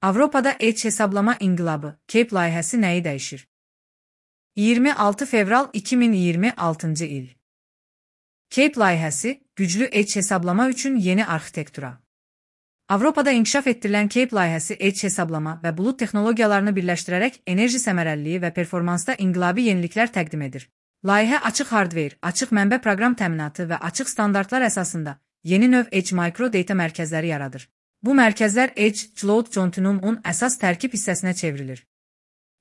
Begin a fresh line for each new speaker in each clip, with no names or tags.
Avropada Edge hesablama inqilabı, CAPE layihəsi nəyi dəyişir? 26 fevral 2026-cı il. CAPE layihəsi, güclü Edge hesablama üçün yeni arxitektura. Avropada inkişaf etdirilən CAPE layihəsi Edge hesablama və bulut texnologiyalarını birləşdirərək enerji səmərəliliyi və performansda inqilabi yeniliklər təqdim edir. Layihə açıq hardware, açıq mənbə proqram təminatı və açıq standartlar əsasında yeni növ Edge Micro Data mərkəzləri yaradır. Bu mərkəzlər Edge Cloud Continuum-un əsas tərkib hissəsinə çevrilir.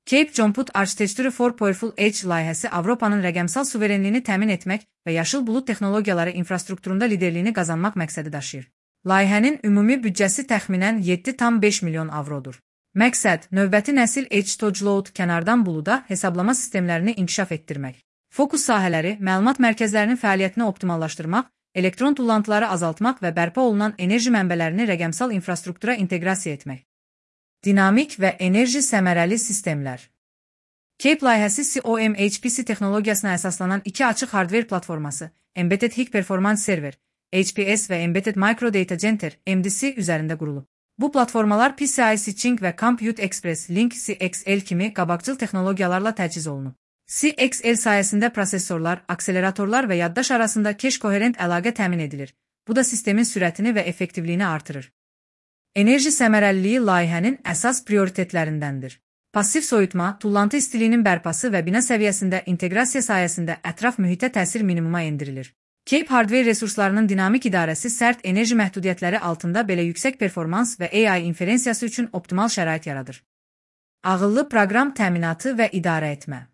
CAPE Compute Architecture for Powerful Edge layihəsi Avropanın rəqəmsal suverenliyini təmin etmək və yaşıl bulut texnologiyaları infrastrukturunda liderliyini qazanmaq məqsədi daşıyır. Layihənin ümumi büdcəsi təxminən 7,5 milyon avrodur. Məqsəd, növbəti nəsil Edge to Cloud kənardan buluda hesablama sistemlərini inkişaf etdirmək. Fokus sahələri, məlumat mərkəzlərinin fəaliyyətini optimallaşdırmaq, elektron tullantıları azaltmaq və bərpa olunan enerji mənbələrini rəqəmsal infrastruktura inteqrasiya etmək. Dinamik və enerji səmərəli sistemlər. CAPE layihəsi COM-HPC texnologiyasına əsaslanan iki açıq hardware platforması, Embedded High Performance Server, HPS və Embedded Micro Data Center, MDC üzərində qurulub. Bu platformalar PCI Switching və Compute Express Link CXL kimi qabaqcıl texnologiyalarla təchiz olunub. CXL sayəsində prosesorlar, akseleratorlar və yaddaş arasında keş-koherent əlaqə təmin edilir. Bu da sistemin sürətini və effektivliyini artırır. Enerji səmərəliliyi layihənin əsas prioritetlərindəndir. Passiv soyutma, tullantı istiliyinin bərpası və bina səviyyəsində inteqrasiya sayəsində ətraf mühitə təsir minimuma endirilir. CAPE hardware resurslarının dinamik idarəsi sərt enerji məhdudiyyətləri altında belə yüksək performans və AI inferensiyası üçün optimal şərait yaradır. Ağıllı proqram təminatı və idarə etmə.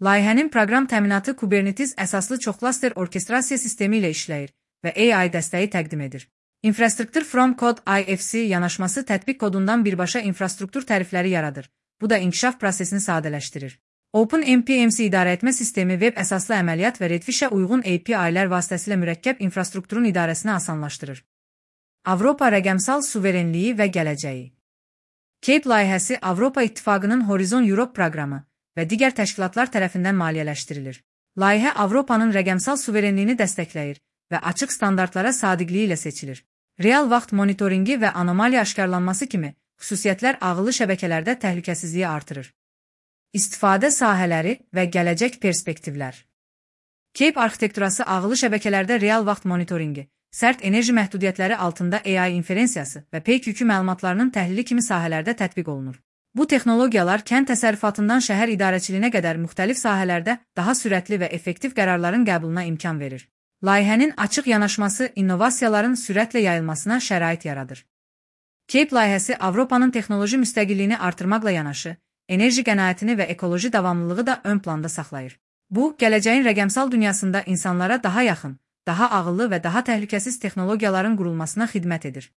Layihənin proqram təminatı Kubernetes əsaslı çoxklaster orkestrasiya sistemi ilə işləyir və AI dəstəyi təqdim edir. Infrastructure from Code IFC yanaşması tətbiq kodundan birbaşa infrastruktur tərifləri yaradır. Bu da inkişaf prosesini sadələşdirir. OpenMPMC idarəetmə sistemi web əsaslı əməliyyat və Redfish-ə uyğun API-lər vasitəsilə mürəkkəb infrastrukturun idarəsini asanlaşdırır. Avropa rəqəmsal suverenliyi və gələcəyi. CAPE layihəsi Avropa İttifaqının Horizon Europe proqramı və digər təşkilatlar tərəfindən maliyyələşdirilir. Layihə Avropanın rəqəmsal suverenliyini dəstəkləyir və açıq standartlara sadiqliyi ilə seçilir. Real vaxt monitoringi və anomaliya aşkarlanması kimi xüsusiyyətlər ağıllı şəbəkələrdə təhlükəsizliyi artırır. İstifadə sahələri və gələcək perspektivlər. CAPE arxitekturası ağıllı şəbəkələrdə real vaxt monitoringi, sərt enerji məhdudiyyətləri altında AI inferensiyası və peyk yükü məlumatlarının təhlili kimi sahələrdə tətbiq olunur. Bu texnologiyalar kənd təsərrüfatından şəhər idarəçiliyinə qədər müxtəlif sahələrdə daha sürətli və effektiv qərarların qəbuluna imkan verir. Layihənin açıq yanaşması innovasiyaların sürətlə yayılmasına şərait yaradır. CAPE layihəsi Avropanın texnoloji müstəqilliyini artırmaqla yanaşı, enerji qənaətini və ekoloji davamlılığı da ön planda saxlayır. Bu, gələcəyin rəqəmsal dünyasında insanlara daha yaxın, daha ağıllı və daha təhlükəsiz texnologiyaların qurulmasına xidmət edir.